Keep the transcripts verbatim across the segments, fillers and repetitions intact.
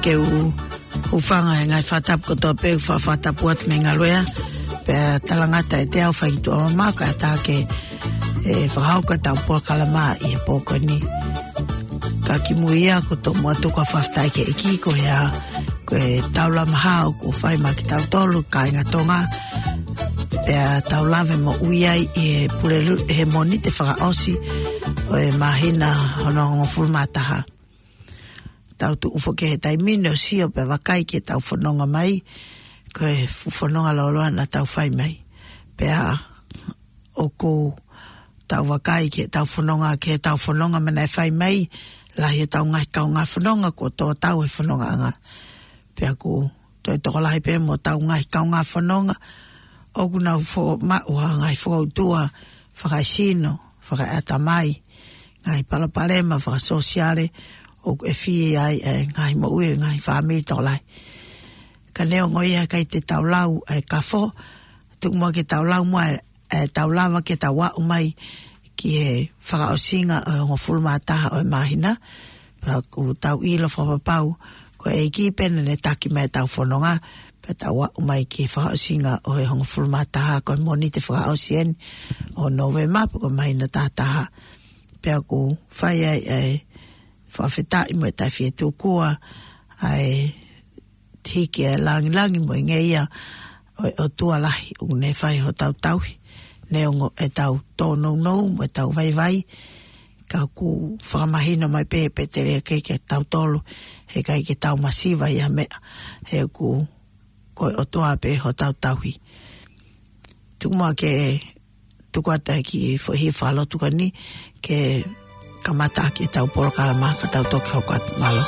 Ke u hūfanga he ngaahi fakatapu kotoa pē, fa-, fakatapu atu mei Ngaluea, pea talangata ʻe te au fai ki tuʻa mamaʻo, kae ʻatā ke, ʻe, fakahoko ʻetau polokalama ʻi he pō ko eni. Ka kimuʻa ia, ko e tomuʻa tuku ʻa e fakafetaʻi ki he ʻEiki, ko e hā, ko e taulama hao kuo fai maʻa kitautolu, kāinga Tonga, pea tau lave moʻui ai ʻi he Pulelulu, he Mōnite fakaʻosi ʻo e māhina hono hongofulu mā taha. Tau tuʻu foki he taimi ni ʻo sio pea vakai ki heʻetau fononga mai, ko e fuʻu fononga lōloa naʻa tau fai mai. Pea ʻoku tau vakai ki heʻetau fononga, ki heʻetau fononga mei he naʻe fai mai, lahi ʻetau ngaahi kaungā fononga kuo tō tau he fonongaʻanga. Pea ʻoku toe tokolahi pē mo ʻetau ngaahi kaungā fononga, ʻoku nau fo-, maʻu ha ngaahi fokoutua fakaesino, fakaeʻatamai, ngaahi palopalema fakasōsiale, ʻoku ʻe fie ai e ngaahi moʻui, ngaahi fāmili tokolahi. Ka neongo ia, ʻikai te tau lau e kafo, tuku muʻa ke tau lau muʻa e, e tau lava ke tau aʻu mai ki he fakaʻosinga ʻo e hongofulu mā taha ʻo e māhina, pea ʻoku tau ʻilo fakapapau, ko e ʻEiki pē naʻa ne taki mai ʻetau fononga, pea tau aʻu mai ki he fakaʻosinga ʻo e hongofulu mā taha, ko e Mōnite fakaʻosi eni ʻo Nōvema, pea ko e māhina taha taha. Pea ʻoku fai ai e fakafetaʻi mo e taʻefietuku ʻa e hiki e langilangi mo e ngeia ʻo e ʻOtua lahi ʻoku ne fai hotau tauhi, neongo ʻetau tōnounou mo ʻetau vaivai, ka ʻoku fakamahino mai pē ʻe Pēteli ʻa e ʻEiki kiate kitautolu, heʻikai ke tau masiva ʻi ha meʻa, he ʻoku ko e ʻOtua pē hotau tauhi. Tuku muʻa ke tuku atu e kiʻi foʻi fakalotu ko eni ke kamata ʻaki ʻetau polokalama ka tau toki hoko atu, mālō.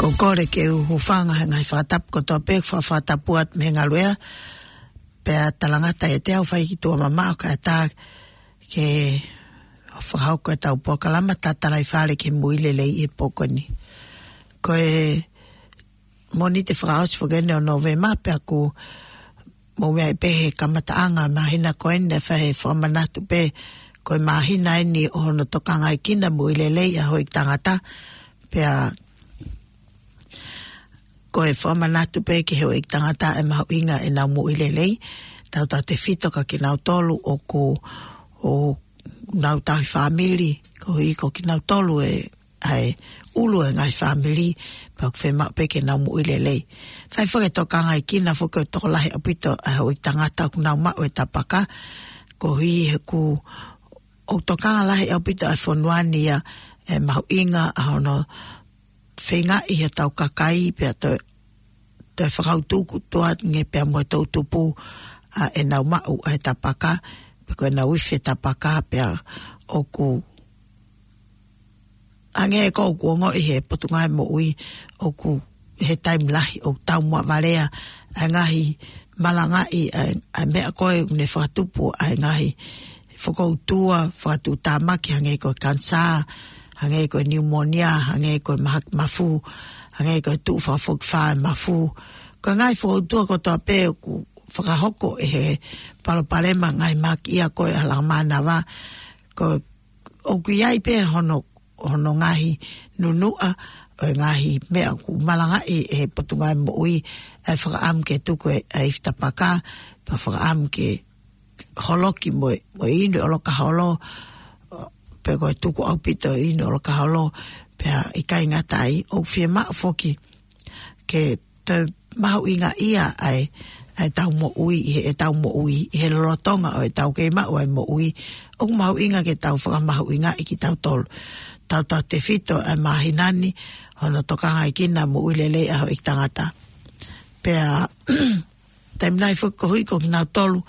ʻOku ou kole ke u hūfanga he ngaahi fakatapu kotoa pē, fa-, fakatapu atu mei he ngaluʻea, pea talangata ʻiate au fai ki tuʻa mamaʻo kae ʻatā ke fakahoko ʻetau polokalama Tatalaifale ki he Moʻui Lelei he pō ko eni. Ko e Mōnite fakaʻosi foki eni ʻo Nōvema, pea ʻoku mou meaʻi pē he kamataʻanga māhina ko eni, ʻe fai e fakamanatu pē ko e māhina eni ʻo hono tokangaekina moʻui lelei ʻa e houʻeiki tangata, pea ko e fakamanatu pē ki he houʻeiki tangata e mahuʻinga ʻenau moʻui lelei, tautautefito kia kinautolu ʻoku, ʻoku nau tauhi fāmili, koeʻuhi ko kinautolu e, ʻa e ʻulu e ngaahi fāmili, pea ʻoku fiemaʻu pē ke nau moʻui lelei. Fai foki e tokangaekina foki ʻo e tokolahi ʻaupito ʻa e houʻeiki tangata ʻoku nau maʻu e tapaka, koeʻuhi he ʻoku, ʻoku tokanga lahi ʻaupito ʻa e fonua ni ia e mahuʻinga ʻa hono feingaʻi ʻe hotau kakai pea toe, toe fakautuutu ange pea mo e toʻutupu ʻa ʻenau maʻu ʻa e tapaka, pe ko ʻenau ifi e tapaka, pea ʻoku hangē ko ʻeku ongoʻi he Potungāue Moʻui, ʻoku he taimi lahi ʻoku taumuʻa valea ʻa e ngaahi malangaʻi ʻa e, ʻa e meʻa ko ē ʻoku ne fakatupu ʻa e ngaahi fokoutua fakatuʻutāmaki, hangē ko e kanisā, hangē ko e niumonia, hangē ko e mahaki mafu, hangē ko e tuʻu fakafokifā e mafu. Ko e ngaahi fokoutua kotoa pē ʻoku fakahoko ʻe he palopalema ngaahi mahaki ia ko ē ʻa e lakamānava. Ko e ʻoku ʻi ai pē hono, hono ngaahi nunuʻa ʻo e ngaahi meʻa ʻoku malangaʻi ʻe he Potungāue Moʻui ʻa e fakaʻamu ke tuku e, ʻa e ifi tapaka, pea fakaʻamu ke holoki mo e, mo e inu ʻoloka holo, pe ko e tuku ʻaupito e inu ʻoloka holo, pea ʻikai ngata ai, ʻoku fiemaʻu foki ke toe mahuʻingaʻia ʻa e, ʻa ʻetau moʻui, ʻi heʻetau moʻui, ʻi he lolotonga ʻo ʻetau kei maʻu ʻa e moʻui, ʻoku mahuʻinga ke tau fakamahuʻingaʻi kitautolu. Tautautefito ʻa e māhina ni, hono tokangaekina moʻui lelei ʻa e houʻeiki tangata. Pea, taimi lahi foki koeʻuhi ko kinautolu,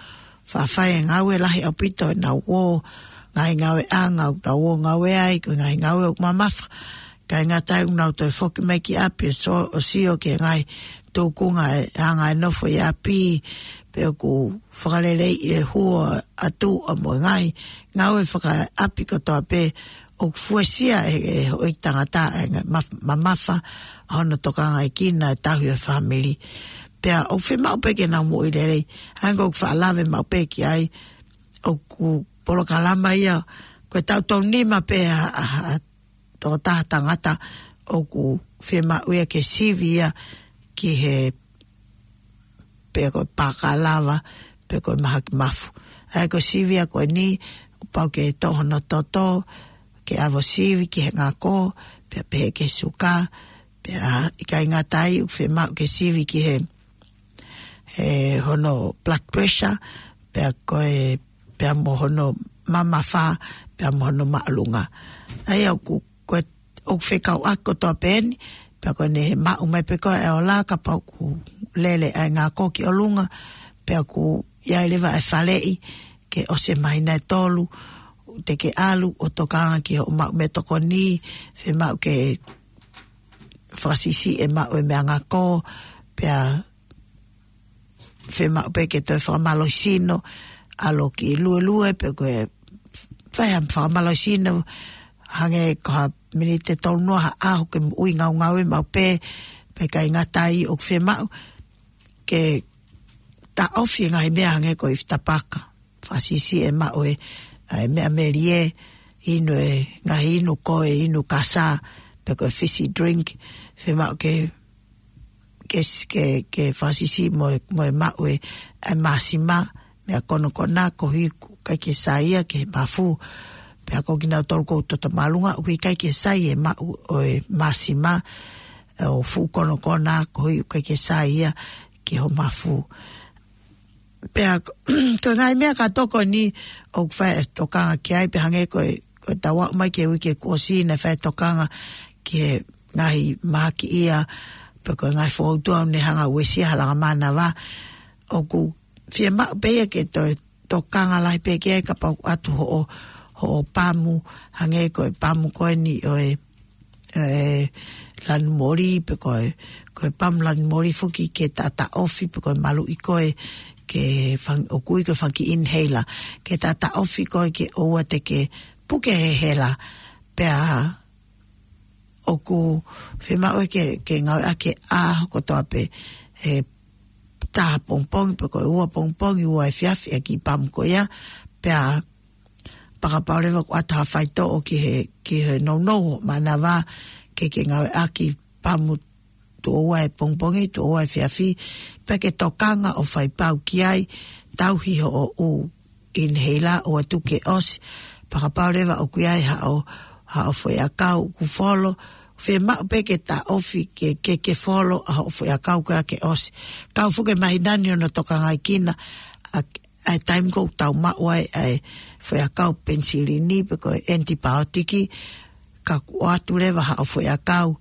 faʻa fai e ngāue lahi ʻaupito ʻenau ō, ngaahi ngāueʻanga ʻoku nau ō ngāue ai, ko e ngaahi ngāue ʻoku mamafa. ʻIkai ngata ai ʻoku nau toe foki mai ki ʻapi ʻo so-, ʻo sio ki he ngaahi tūkunga e anga e nofo ʻi ʻapi, pe ʻoku fakaleleiʻi e hua ʻa tuʻa mo e ngaahi ngāue fakaʻapi kotoa pē, ʻoku fuesia ʻe, ʻe he houʻeiki tangata e ngaahi maf-, mamafa ʻa hono tokangaekina e tauhi e fāmili. Pea ʻoku fiemaʻu pē ke nau moʻui lelei. Hangē ko ʻeku faʻa lave maʻu pē ki ai, ʻoku polokalama ia, ko e taʻu tolunima pē ʻa, ʻa, ʻa e tokotaha tangata ʻoku fiemaʻu ia ke sivi ia ki he, pe ko e pākalava, pe ko e mahaki mafu. ʻA ia ko e sivi ia ko eni, ʻoku pau ke tō hono toto, ke ʻave ʻo sivi ki he ngako, pea pehē ki he suka, pea ʻikai ngata ai ʻoku fiemaʻu ke sivi ki he, he hono blood pressure, pea ko e, pea mo hono mamafa, pea mo hono māʻolunga. ʻA ia ʻoku, ko e, ʻoku fekauʻaki kotoa pē eni, pea ko ʻene maʻu mai pē ko ē e ola kapau ʻoku lele ʻa e ngako ki ʻolunga, pea ʻoku ʻi ai leva e faleʻi, ke ʻosi e māhina ʻe tolu, te ke ʻalu ʻo tokanga ki hoʻo maʻu meʻatokoni, fiemaʻu ke fakasiʻisiʻi e maʻu e meʻangako, pea fiemaʻu pē ke toe fakamālohisino, ʻalu ki luelue, pe ko e fai ha fakamālohisino, hangē ko ha miniti ʻe tolunoa ha ʻaho ke moʻui ngaungaue maʻu pē, pea ʻikai ngata ai ʻoku fiemaʻu ke taʻofi e ngaahi meʻa hangē ko e ifi tapaka. Fakasiʻisiʻi e maʻu e, ʻa e meʻa melie, inu e ngaahi inu ko ē, inu kasa, pe ko e fizzy drink, fiemaʻu ke, ke s-, ke, ke fakasiʻisiʻi mo e, mo e maʻu e, ʻa e māsima, meʻa konokona, koeʻuhi ʻoku ʻikai ke sai ia ki he mafu, pea ko kinautolu ʻoku toto māʻolunga, ʻoku ʻikai ke sai e maʻu ʻo e māsima, ʻo fuʻu konokona, koeʻuhi ʻoku ʻikai ke sai ia ki hoʻo mafu. Pea ko, ko e ngaahi meʻa kātoa ko eni ʻoku fai e tokanga ki ai, pea hangē ko e, ko ʻetau aʻu mai ki he uike kuo ʻosi naʻe fai e tokanga ki he ngaahi mahaki ia, pe ko e ngaahi fokoutua ʻoku ne hanga ʻo uesia ha lakamānava. ʻOku fiemaʻu pē ia ke toe tokanga lahi pē ki ai kapau ʻoku ʻatu hoʻo, hoʻo pamu, hangē ko e pamu ko eni ʻo e ē, lanu moli, pe ko e, ko e pamu lanu moli foki ke taʻataʻofi, pe ko e maluʻi ko ē ke fang-, ʻoku ui ko e fanga kiʻi inhaler, ke taʻataʻofi ko ē ke ʻoua te ke puke he hela, pea ʻoku fiemaʻu ke, ke ngāueʻaki ʻaho kotoa pē, he taha pongipongi, pe ko e ua pongipongi, ua efiafi ʻa e kiʻi pamu ko ia, pea fakapapau leva ʻoku ʻoatu ha faitoʻo ki he, ki he nounou mānava ke, ke ngāueʻaki pamu tuʻo ua he pongipongi, tuʻo ua efiafi, pea ke tokanga ʻo fai pau ki ai, tauhi hoʻo ʻū inhaler ʻo atu ke ʻosi, fakapapau leva ʻoku ʻi ai haʻo, haʻo foʻiʻakau ʻoku folo, fiemaʻu pē ke taʻofi ke, ke, ke folo ʻa hoʻo foʻiʻakau ko ia ke ʻosi. Kau foki e māhina ni ʻo na tokangaʻi kinaua ʻa e taimi ʻoku tau maʻu ai ʻa e foʻiʻakau penisilini pe ko e ʻenitipaiotiki, ka kuo ʻoatu leva haʻo foʻiʻakau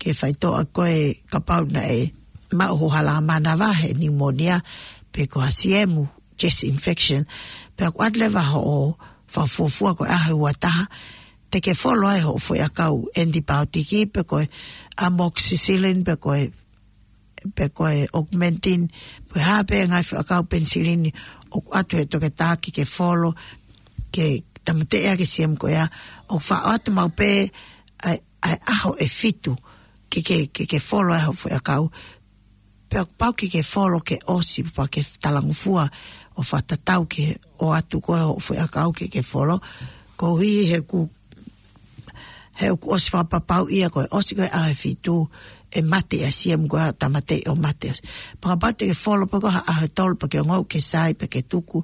ke faitoʻo ko ē kapau naʻe maʻu ho hala mānava he pneumonia pe ko ha siemu, chest infection, pea kuo ʻoatu leva hoʻo fakafuofua ko e ʻaho ua taha, te ke folo ai hoʻo foʻiʻakau ʻenitipaiotiki pe ko e amoxicillin pe ko e, pe ko e Augmentin, pe ko e hā pē ngaahi foʻiʻakau penisilini ʻoku ʻoatu he toketā ke ke folo, ke tāmateʻi ʻa e siemu ko ia, ʻoku faʻo atu maʻu pē ʻa e, ʻa e ʻaho ʻe fitu ke, ke, ke, ke folo ai hoʻo foʻiʻakau, pea pau ke ke folo ke ʻosi pea ke talangofua ʻo fakatatau ke ʻoatu ko ē hoʻo foʻiʻakau ke ke folo, koeʻuhi he ʻoku, he ʻoku ʻosi fakapapauʻi ia ko e ʻosi ko ē ʻaho ʻe fitu ʻe mate ʻa e siemu ko ia, tāmateʻi ʻo mate ʻosi. Fakapapau te ke folo pē ko ē ha ʻaho ʻe tolu pea ke ongoʻi ʻoku ke sai pea ke tuku,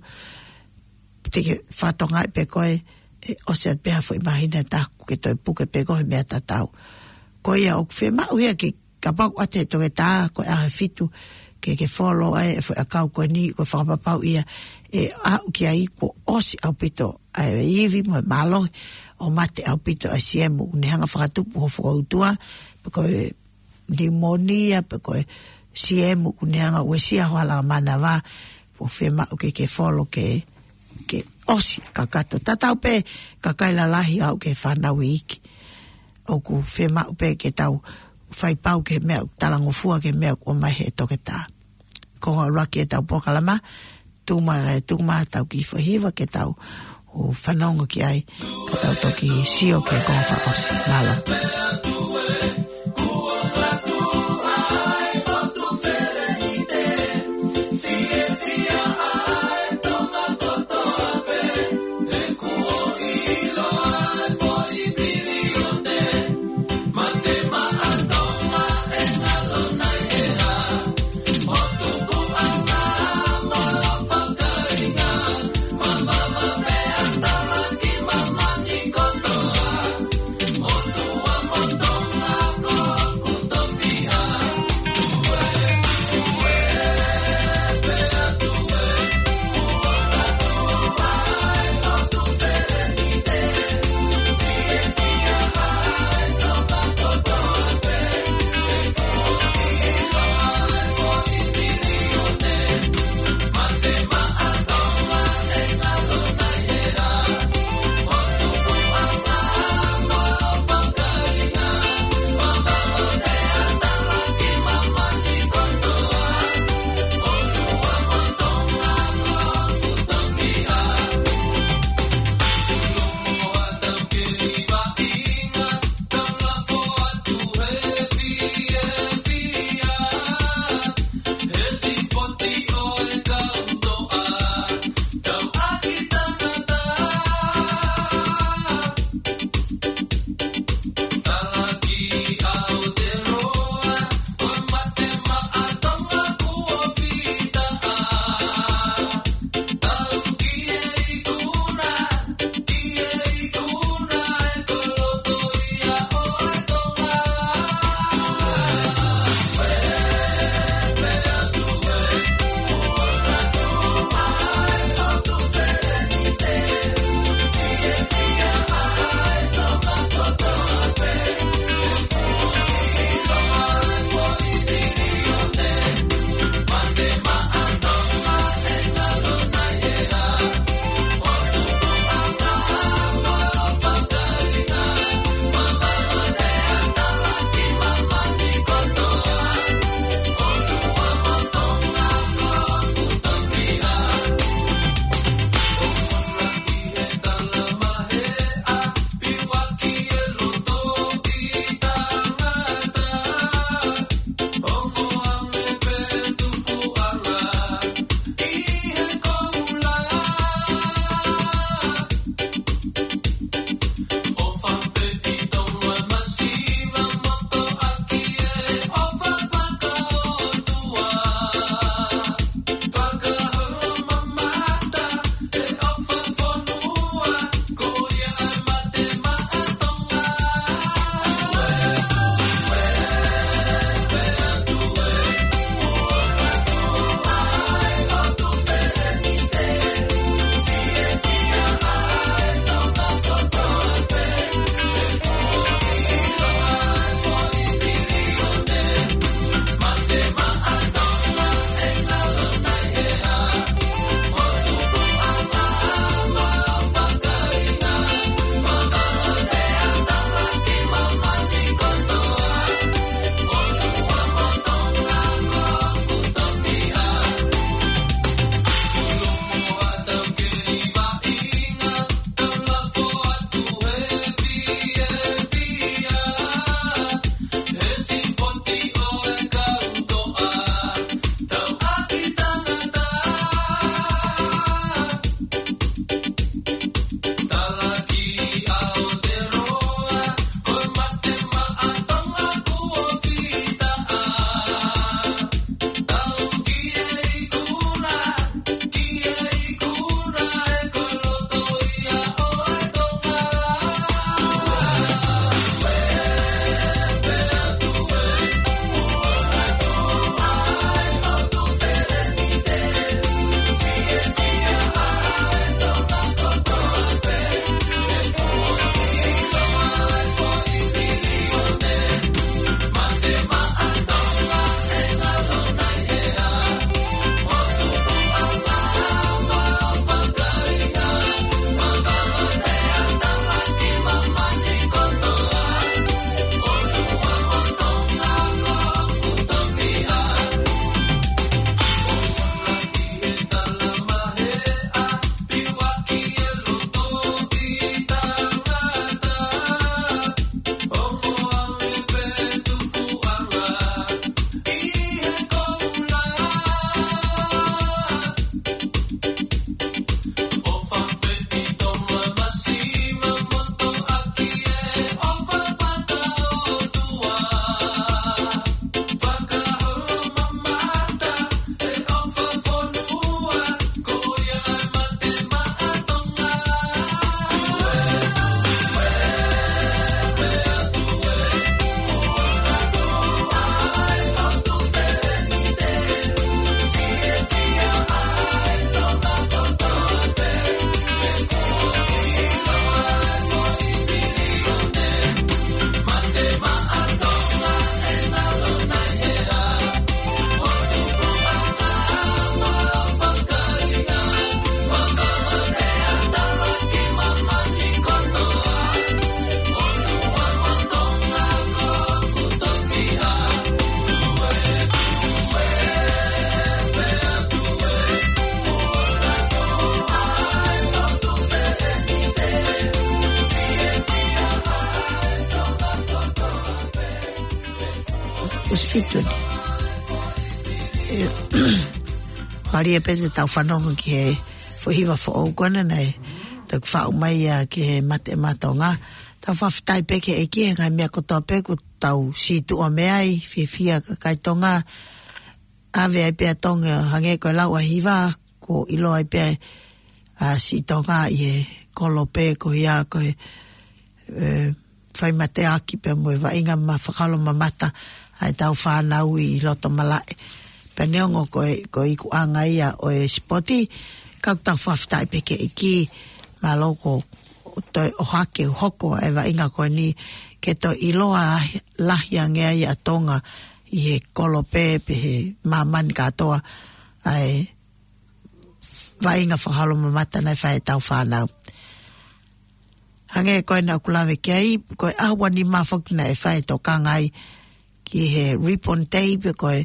te ke fakatokangaʻi pē ko ē ʻe ʻosi atu pē ha foʻi māhina ʻe taha kuo ke toe puke pē ko ē he meʻa tatau. Ko ia ʻoku fiemaʻu ia ke kapau ʻoku ʻoatu he toketā ko e ʻaho ʻe fitu ke, ke folo ai e foʻiʻakau ko eni, ko e fakapapau ia ʻe aʻu ki ai kuo ʻosi ʻaupito ʻa e ivi mo e mālohi ʻo mate ʻaupito ʻa e siemu ʻoku ne hanga ʻo fakatupu ho fokoutua, pe ko e pneumonia, pe ko e siemu ʻoku ne hanga ʻo uesia ho hala mānava, ʻoku fiemaʻu ke ke folo ke, ke ʻosi kakato. Tatau pē kakai lalahi ʻo aʻu ki he fānau iiki. ʻOku fiemaʻu pē ke tau fai pau ki he meʻa ʻoku talangofua, ki he meʻa ʻoku ʻomai he toketā. Ko e ʻuluaki ʻetau polokalama, tuku mai, tuku mai ʻetau kiʻi foʻi hiva ke tau fanongo ki ai, ka tau toki sio ki he konga fakaʻosi. Mālō. Kuo ʻosi fitu ni. ʻE, mālie pē te tau fanongo ki he foʻi hiva foʻou ko ena naʻe toki faʻu mai ia ki he Mate Maʻa Tonga. Tau fakafetaʻi pē ki he ʻEiki he ngaahi meʻa kotoa pē kuo tau situʻa mei ai, fiefia kakai Tonga. ʻAve ai pē ʻa Tonga hangē ko e lau ʻa e hiva, kuo ʻiloa ai pē ʻa Sitonga ʻi he kolope ko ia ko e, ʻe, fai mateaki pea mo e vaʻinga ma-, fakaholomamata ʻa ʻetau fānau ʻi loto malaʻe. Pea neongo ko e, ko e ikuʻanga ia ʻo e sipoti, ka ʻoku tau fakafetaʻi pē ki he ʻEiki, mālō kuo toe ʻohake ʻo hoko ʻa e vaʻinga ko eni ke toe ʻiloa lahi, lahi ange ai ʻa Tonga ʻi he kolope pe he māmani kātoa ʻa e vaʻinga fakaholomamata naʻe fai ʻe heʻetau fānau. Hangē ko ena ʻoku lave ki ai, ko e ʻaho ua nima foki naʻe fai e tokanga ai ki he Ribbon Day pe ko e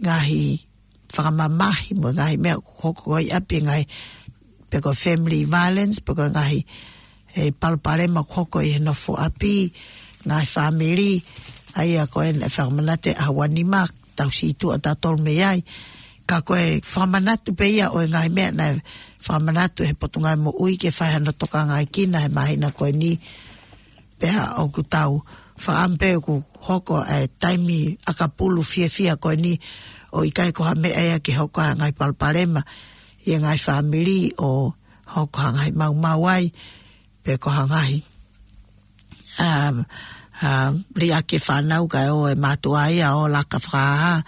ngaahi fakamamahi mo e ngaahi meʻa ʻoku hoko ʻi ʻapi, ngaahi pe ko e family violence, pe ko e ngaahi, ʻe, palopalema ʻoku hoko ʻi he nofo ʻapi, ngaahi fāmili, ʻa ia ko ena naʻe fakamanatu ʻe he ʻaho ua nima, tau situʻa tautolu mei ai. Ka ko e fakamanatu pē ia ʻo e ngaahi meʻa naʻe fakamanatu ʻe he Potungāue Moʻui ke fai hano tokangaʻi kina he māhina ko eni. Pea ʻoku tau fakaʻamu pē ʻoku hoko ʻa e taimi ʻakapulu fiefia ko eni ʻo ʻikai ko ha meʻa ia ke hoko ʻa e ngaahi palopalema ʻi he ngaahi fāmili ʻo hoko ha ngaahi maumau ai, pe ko ha ngaahi, um, um, liʻaki e fānau kae ʻoua ʻe mātuʻa ia ʻo laka fakahā.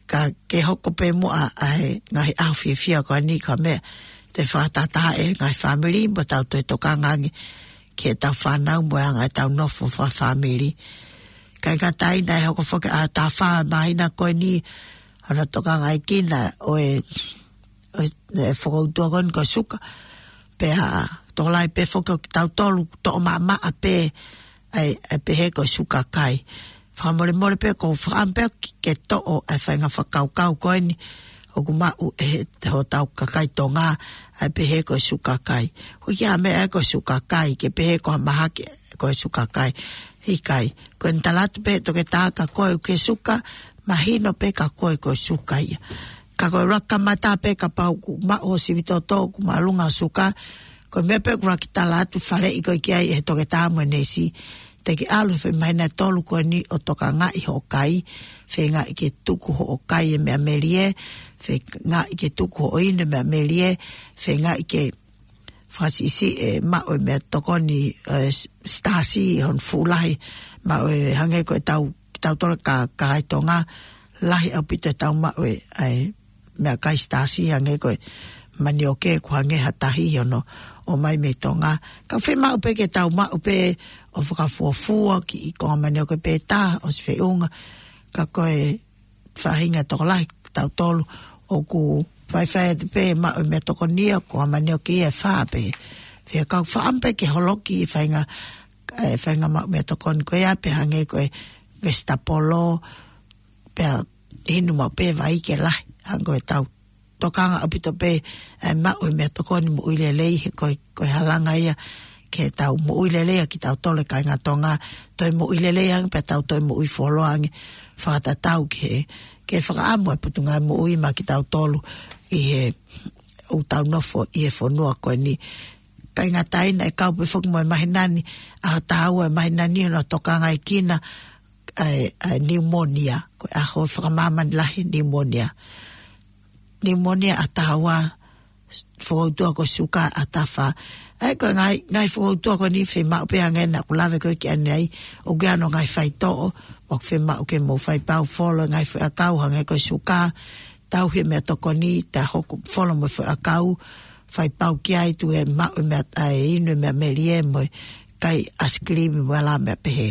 Ka ke hoko pē muʻa ʻa e ngaahi ʻaho fiefia ko eni ko e meʻa te fakatātā e ngaahi fāmili mo tau toe tokanga ange ki heʻetau fānau mo e anga ʻetau nofo fakafāmili. ʻIkai ngata ai naʻe hoko foki ʻa e ʻaho taha fā māhina ko eni, hano tokangaʻi kina ʻo e, ʻo e, ʻe fokoutua ko eni ko e suka. Pea tokolahi pē foki ʻo kitautolu toʻo maʻamaʻa pē ʻa e, ʻa e pehē ko e suka kai. Fakamolemole pē ʻoku ou fakaʻamu pē ke, ke toʻo ʻa e faʻahinga fakakaukau ko eni ʻoku maʻu ʻe he, hotau kakai Tonga, ʻa e pehē ko e suka kai. Hoi ki ha meʻa ʻe ko e suka kai, ke pehē ko ha mahaki ko e suka kai. ʻIkai, ko eni tala atu pē ʻe he toketā ka ko e ke suka, mahino pē ka ko e ko e suka ia. Ka ko e ʻuluaki kamata pē kapau ʻoku maʻu ho sivi toto ʻoku māʻolunga suka, ko e meʻa pē ʻoku ʻuluaki tala atu faleʻi koe ki ai ʻe he toketā mo e neesi. Te ke ʻalu he foʻi māhina ʻe tolu ko eni ʻo tokangaʻi hoʻo kai, feingaʻi ke tuku hoʻo kai e meʻa melie, feingaʻi ke tuku hoʻo inu e meʻa melie, feingaʻi ke fakasiʻisiʻi e maʻu e meʻatokoni, ʻe, s-, sitaasi ʻi hono fuʻu lahi, maʻu e hangē ko ʻetau, kitautolu ka, kakai Tonga, lahi ʻaupito ʻetau maʻu e, ʻa e meʻakai sitaasi hangē ko e manioke ʻoku hangē ha tahi ʻi hono ʻomai mei Tonga. Ka fiemaʻu pē ke tau maʻu pē ʻo fakafuofua kiʻi konga manioke pē taha ʻosi feʻunga. Ka ko e faʻahinga tokolahi tautolu ʻoku faifai atu pē maʻu e meʻatokoni ia ko e manioke ia ʻe fā pē. Fea kau fakaʻamu pē ke holoki e faʻahinga, e faʻahinga maʻu meʻatokoni ko ia pe hangē ko e vesitapolo, pea inu maʻu pē vai ke lahi, hangē ko ʻetau tokanga ʻaupito pē ʻa e maʻu e meʻatokoni moʻui lelei he ko e, ko e halanga ia ke tau moʻui lelei ʻa kitautolu e kāinga Tonga, toe moʻui lelei ange pea tau toe moʻui fuoloa ange fakatatau ki he, ke fakaʻamu e Potungāue Moʻui maʻa kitautolu ʻi he ʻoku tau nofo ʻi he fonua ko eni. ʻIkai ngata ai naʻe kau pē foki mo e māhina ni, ʻaho taha ua e māhina ni hono tokangaʻi kina ʻa e, ʻa e niumonia, ko e ʻaho fakamāmani lahi niumonia. Niumonia ʻaho taha ua, fokoutua ko e suka ʻaho taha fā. ʻA ia ko e ngaahi, ngaahi fokoutua ko eni fiemaʻu pē hangē naʻa ku lave ko ē ki ai ʻanenai, ʻoku ʻi ai hono ngaahi faitoʻo, ʻoku fiemaʻu ke mou faipau folo e ngaahi foʻi ʻakau hangē ko e suka, tauhi e meʻatokoni, ta hoko folo mo e foʻi ʻakau, faipau ki ai tuku e maʻu e meʻa, ʻa e inu e meʻa melie mo e kai ʻaisikilimi mo e ʻalā meʻa pehē.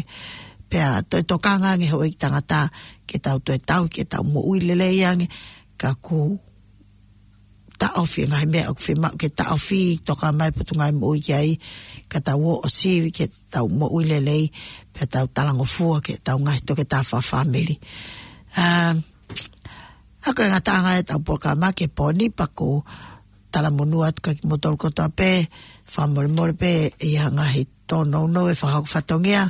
Pea toe tokanga ange houʻeiki tangata ke tau toe tauhi ke tau moʻui lelei ange, ka ʻoku taʻofi e ngaahi meʻa ʻoku fiemaʻu ke taʻofi, toka mai Potungāue Moʻui ki ai, ka tau ō ʻo sivi ke tau moʻui lelei, pea tau talangofua ki heʻetau ngaahi toketā fakafāmili. Um, ʻA ia ko e ngataʻanga ʻetau polokalama ki he pō ni pea ʻoku ou talamonū atu kiate kimoutolu kotoa pē, fakamolemole pē ʻi ha ngaahi tōnounou ʻe fakahoko fatongia,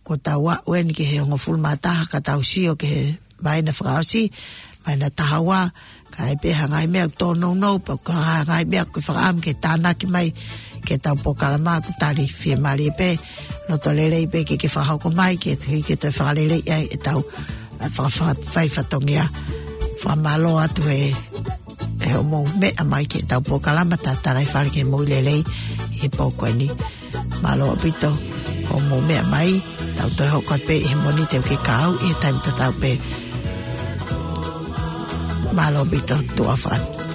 ko tau aʻu eni ki he hongofulu mā taha ka tau sio ki he māhina fakaʻosi, māhina taha ua, ka ʻi ai pē ha ngaahi meʻa ʻoku tōnounou, pe ko ha ngaahi meʻa ʻoku ke fakaʻamu ke tānaki mai ki heʻetau polokalama, ʻoku tali fiemālie pē, loto lelei pē ke ke fakahoko mai, ke tui ke toe fakaleleiʻi ai ʻetau, ʻa, faka-, fai fatongia. Fakamālō atu he, he hoʻomou meʻa mai ki heʻetau polokalama Tatalaifale ki he Moʻui Lelei ʻi he pō ko eni. Mālō ʻaupito hoʻomou meʻa mai, tau toe hoko atu pē ʻi he Mōnite ʻoku ke kau ʻi he taimi tatau pē. Mālō ʻaupito, tuʻa ʻofa atu.